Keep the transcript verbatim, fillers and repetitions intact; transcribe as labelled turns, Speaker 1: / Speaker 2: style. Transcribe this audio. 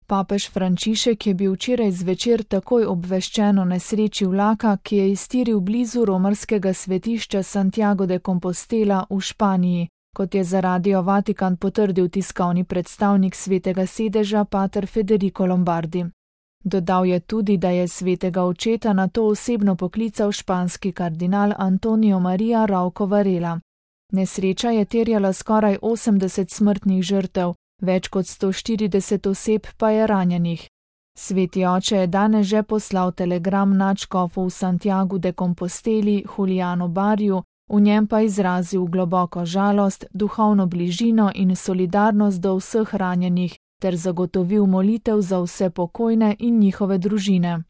Speaker 1: Papež Frančišek je bil včeraj zvečer takoj obveščen o nesreči vlaka, ki je iztiril blizu romarskega svetišča Santiago de Compostela v Španiji, kot je za Radio Vatikan potrdil tiskovni predstavnik Svetega sedeža pater Federico Lombardi. Dodal je tudi, da je svetega očeta nato osebno poklical španski kardinal Antonio Maria Rauco Varela. Nesreča je terjala skoraj osemdeset smrtnih žrtev, več kot sto štirideset oseb pa je ranjenih. Sveti oče je danes že poslal telegram nadškofu v Santiagu de Composteli Julianu Barriu, v njem pa izrazil globoko žalost, duhovno bližino in solidarnost do vseh ranjenih ter zagotovil molitev za vse pokojne in njihove družine.